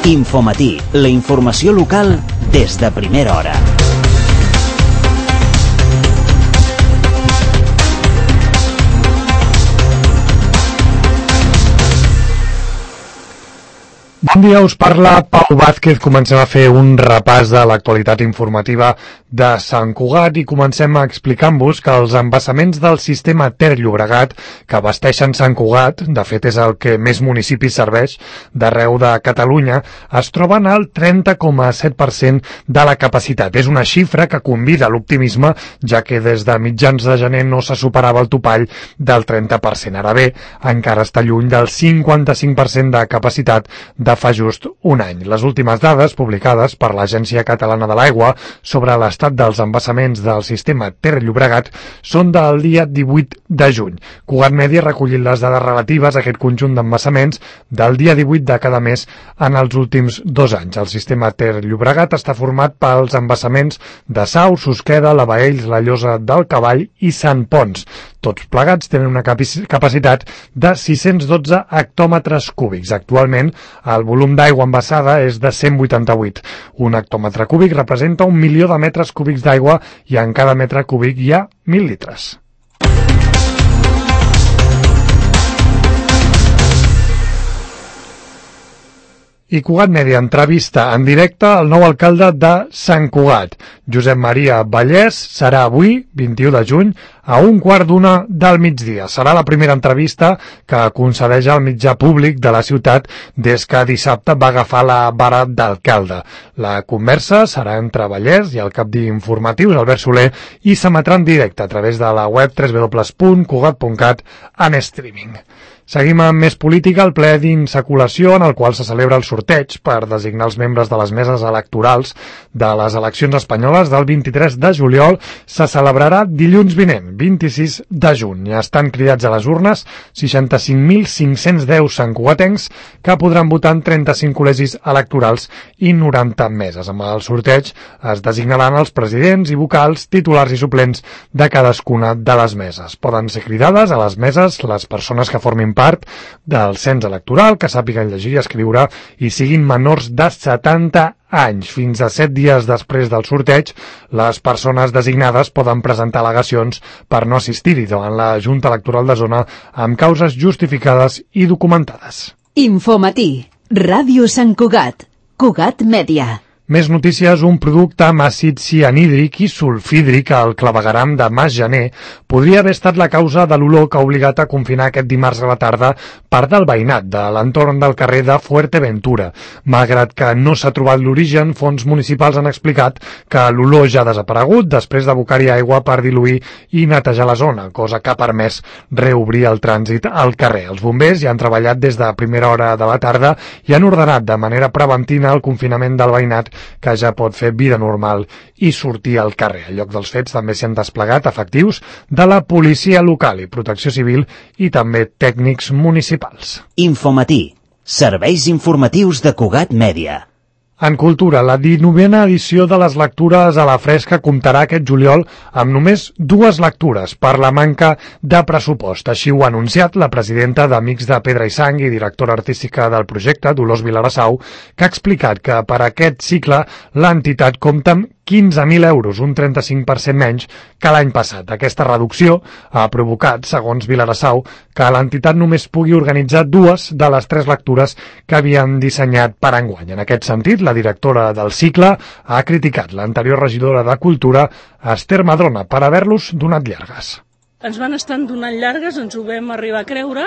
Infomatí, la informació local des de primera hora. Bon dia, us parla Pau Vázquez. Comencem a fer un repàs de l'actualitat informativa de Sant Cugat i comencem explicant-vos que els embassaments del sistema Ter-Llobregat que abasteixen Sant Cugat, de fet és el que més municipis serveix d'arreu de Catalunya, es troben al 30,7% de la capacitat. És una xifra que convida a l'optimisme, ja que des de mitjans de gener no se superava el topall del 30%. Ara bé, encara està lluny del 55% de capacitat de fa just un any. Les últimes dades publicades per l'Agència Catalana de l'Aigua sobre l'estat dels embassaments del sistema Ter-Llobregat són del dia 18 de juny. Cugat Mèdia ha recollit les dades relatives a aquest conjunt d'embassaments del dia 18 de cada mes en els últims 2 anys. El sistema Ter-Llobregat està format pels embassaments de Sau, Susqueda, la Baells, la Llosa del Cavall i Sant Ponç. Tots plegats tenen una capacitat de 612 hectòmetres cúbics. Actualment, el volum d'aigua embassada és de 188. Un hectòmetre cúbic representa 1 milió de metres cúbics d'aigua i en cada metre cúbic hi ha 1.000 litres. I Cugat Mèdia entrevista en directe al nou alcalde de Sant Cugat. Josep Maria Vallès serà avui, 21 de juny, a 1:15 del migdia. Serà la primera entrevista que concedeix al mitjà públic de la ciutat des que dissabte va agafar la vara d'alcalde. La conversa serà entre Vallès i el cap d'informatius, Albert Soler, i s'emetrà en directe a través de la web www.cugat.cat en streaming. Seguim amb més política. El ple d'insaculació en el qual se celebra el sorteig per designar els membres de les meses electorals de les eleccions espanyoles del 23 de juliol se celebrarà dilluns vinent, 26 de juny. Estan cridats a les urnes 65.510 santcugatencs que podran votar en 35 col·legis electorals i 90 meses. Amb el sorteig es designaran els presidents i vocals, titulars i suplents de cadascuna de les meses. Poden ser cridades a les meses les persones que formin part del cens electoral, que sàpiguen llegir i escriure i siguin menors de 70 anys. Fins a 7 dies després del sorteig, les persones designades poden presentar al·legacions per no assistir-hi davant la Junta Electoral de Zona amb causes justificades i documentades. Infomatí, Ràdio Sant Cugat, Cugat Mèdia. Més notícies. Un producte amb àcid cianhídric i sulfídric al clavegueram de Mas Gener podria haver estat la causa de l'olor que ha obligat a confinar aquest dimarts a la tarda part del veïnat de l'entorn del carrer de Fuerteventura. Malgrat que no s'ha trobat l'origen, fons municipals han explicat que l'olor ja ha desaparegut després d'abocar-hi aigua per diluir i netejar la zona, cosa que ha permès reobrir el trànsit al carrer. Els bombers ja han treballat des de primera hora de la tarda i han ordenat de manera preventiva el confinament del veïnat, que ja pot fer vida normal i sortir al carrer. Al lloc dels fets també s'hi han desplegat efectius de la policia local i protecció civil i també tècnics municipals. Infomatí, serveis informatius de Cugat Mèdia. En cultura, la 19a edició de les lectures a la fresca comptarà aquest juliol amb només 2 lectures per la manca de pressupost. Així ho ha anunciat la presidenta d'Amics de Pedra i Sang i directora artística del projecte, Dolors Vilarassau, que ha explicat que per aquest cicle l'entitat compta amb 15.000 euros, un 35% menys que l'any passat. Aquesta reducció ha provocat, segons Vilarassau, que l'entitat només pugui organitzar 2 de les 3 lectures que havien dissenyat per enguany. En aquest sentit, la directora del cicle ha criticat l'anterior regidora de Cultura, Esther Madrona, per haver-los donat llargues. Ens van estar donant llargues, ens ho vam arribar a creure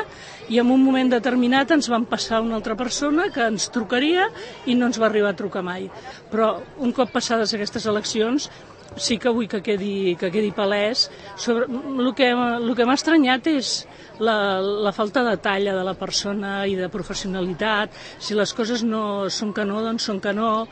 i en un moment determinat ens van passar una altra persona que ens trucaria i no ens va arribar a trucar mai. Però un cop passades aquestes eleccions sí que vull que quedi palès. El que m'ha estranyat és la falta de talla de la persona i de professionalitat. Si les coses no són que no, doncs són que no.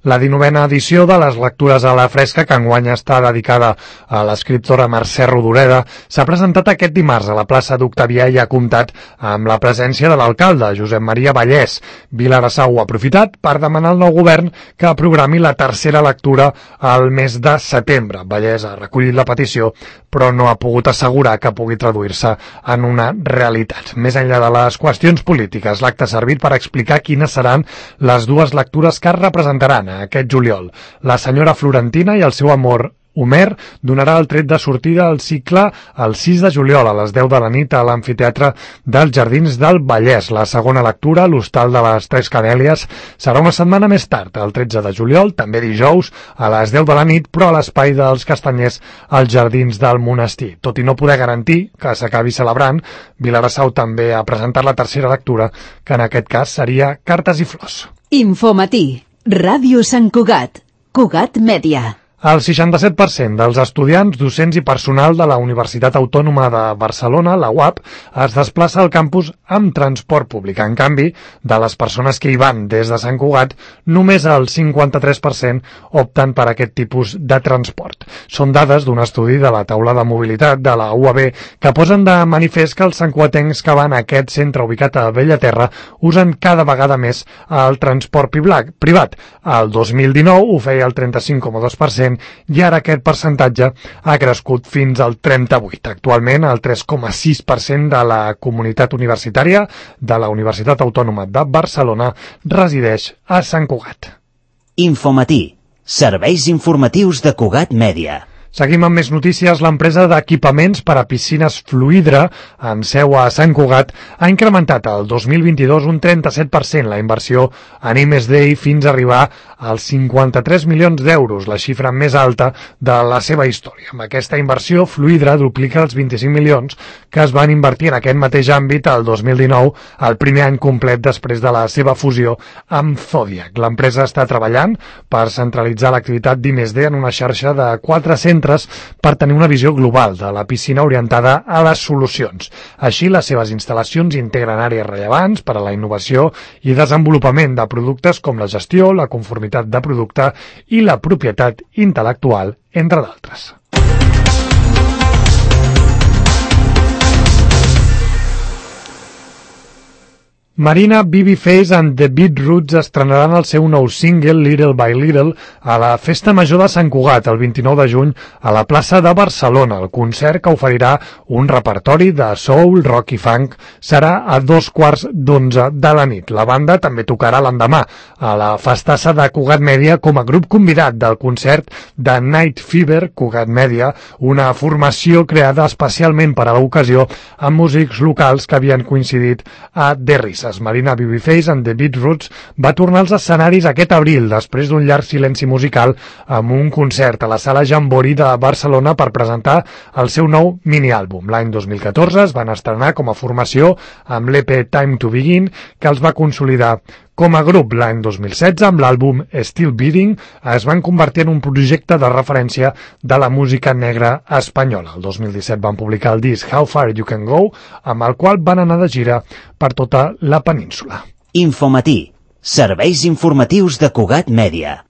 La 19a edició de les lectures a la fresca, que enguany està dedicada a l'escriptora Mercè Rodoreda, s'ha presentat aquest dimarts a la plaça d'Octavià i ha comptat amb la presència de l'alcalde, Josep Maria Vallès. Vilassau ha aprofitat per demanar al nou govern que programi la tercera lectura al mes de setembre. Vallès ha recollit la petició, però no ha pogut assegurar que pugui traduir-se en una realitat. Més enllà de les qüestions polítiques, l'acte ha servit per explicar quines seran les dues lectures que es representaran aquest juliol. La senyora Florentina i el seu amor Homer donarà el tret de sortida al cicle el 6 de juliol a les 10 de la nit a l'amfiteatre dels Jardins del Vallès. La segona lectura, l'Hostal de les Tres Canèlies, serà una setmana més tard, el 13 de juliol, també dijous, a les 10 de la nit, però a l'Espai dels Castanyers als Jardins del Monestir. Tot i no poder garantir que s'acabi celebrant, Vilassau també ha presentat la tercera lectura, que en aquest cas seria Cartes i Flors. Infomatí, Ràdio Sant Cugat, Cugat Mèdia. El 67% dels estudiants, docents i personal de la Universitat Autònoma de Barcelona, la UAB, es desplaça al campus amb transport públic. En canvi, de les persones que hi van des de Sant Cugat, només el 53% opten per aquest tipus de transport. Són dades d'un estudi de la taula de mobilitat de la UAB que posen de manifest que els santcugatencs que van a aquest centre ubicat a Bellaterra usen cada vegada més el transport privat. El 2019 ho feia el 35,2%, i ara aquest percentatge ha crescut fins al 38%. Actualment, el 3,6% de la comunitat universitària de la Universitat Autònoma de Barcelona resideix a Sant Cugat. Infomatí, serveis informatius de Cugat Mèdia. Seguim amb més notícies. L'empresa d'equipaments per a piscines Fluidra, amb seu a Sant Cugat, ha incrementat el 2022 un 37% la inversió en I+D fins a arribar als 53 milions d'euros, la xifra més alta de la seva història. Amb aquesta inversió, Fluidra duplica els 25 milions que es van invertir en aquest mateix àmbit el 2019, el primer any complet després de la seva fusió amb Zodiac. L'empresa està treballant per centralitzar l'activitat d'I+D en una xarxa de 4 centres per tenir una visió global de la piscina orientada a les solucions. Així, les seves instal·lacions integren àrees rellevants per a la innovació i desenvolupament de productes com la gestió, la conformitat de producte i la propietat intel·lectual, entre d'altres. Marina, Babyface and the Beatroots estrenaran el seu nou single Little by Little a la Festa Major de Sant Cugat el 29 de juny a la plaça de Barcelona. El concert, que oferirà un repertori de soul, rock i funk, serà a 11:15 de la nit. La banda també tocarà l'endemà a la festassa de Cugat Mèdia com a grup convidat del concert de Night Fever Cugat Mèdia, una formació creada especialment per a l'ocasió amb músics locals que havien coincidit a The Ris. Marina, Babyface and the Beatroots va tornar als escenaris aquest abril després d'un llarg silenci musical amb un concert a la Sala Jambori de Barcelona per presentar el seu nou miniàlbum. L'any 2014 es van estrenar com a formació amb l'EP Time to Begin, que els va consolidar com a grup. L'any 2016, amb l'àlbum Still Beating, es van convertir en un projecte de referència de la música negra espanyola. El 2017 van publicar el disc How Far You Can Go, amb el qual van anar de gira per tota la península. Infomatí, serveis informatius de Cugat Mèdia.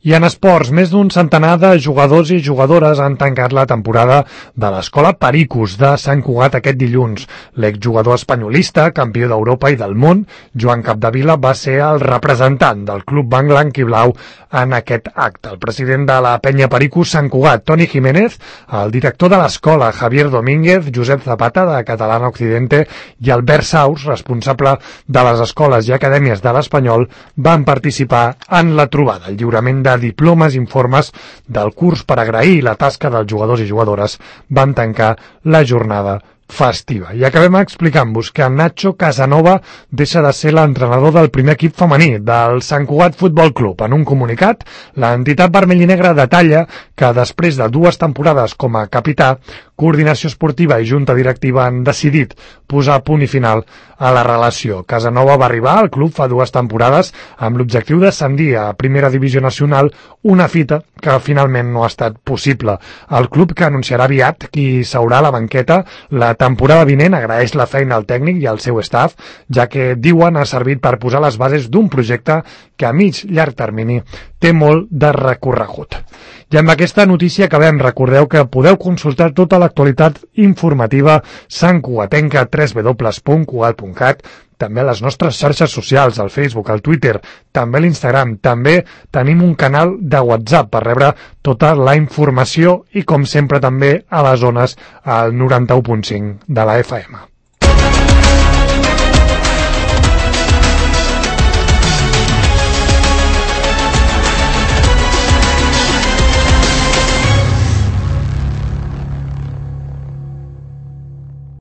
I en esports, més d'un centenar de jugadors i jugadores han tancat la temporada de l'Escola Pericos de Sant Cugat aquest dilluns. L'exjugador espanyolista, campió d'Europa i del món, Joan Capdevila, va ser el representant del club blanc i blau en aquest acte. El president de la penya Pericos Sant Cugat, Toni Jiménez, el director de l'escola, Javier Domínguez, Josep Zapata, de Catalana Occidente, i Albert Saus, responsable de les escoles i acadèmies de l'Espanyol, van participar en la trobada. El lliurament de diplomes i informes del curs per agrair la tasca dels jugadors i jugadores van tancar la jornada festiva. I acabem explicant-vos que Nacho Casanova deixa de ser l'entrenador del primer equip femení del Sant Cugat Futbol Club. En un comunicat, l'entitat vermell i negra detalla que després de 2 temporades com a capità, Coordinació Esportiva i Junta Directiva han decidit posar punt i final a la relació. Casanova va arribar al club fa 2 temporades amb l'objectiu d'ascendir a Primera Divisió Nacional, una fita que finalment no ha estat possible. El club, que anunciarà aviat qui s'haurà a la banqueta la temporada vinent, agraeix la feina al tècnic i al seu staff, ja que, diuen, ha servit per posar les bases d'un projecte que a llarg termini té molt de recorregut. I amb aquesta notícia acabem. Recordeu que podeu consultar tota l'actualitat informativa santcugatenca a www.cugat.cat, també a les nostres xarxes socials, al Facebook, al Twitter, també a l'Instagram. També tenim un canal de WhatsApp per rebre tota la informació i, com sempre, també a les zones al 91.5 de la FM.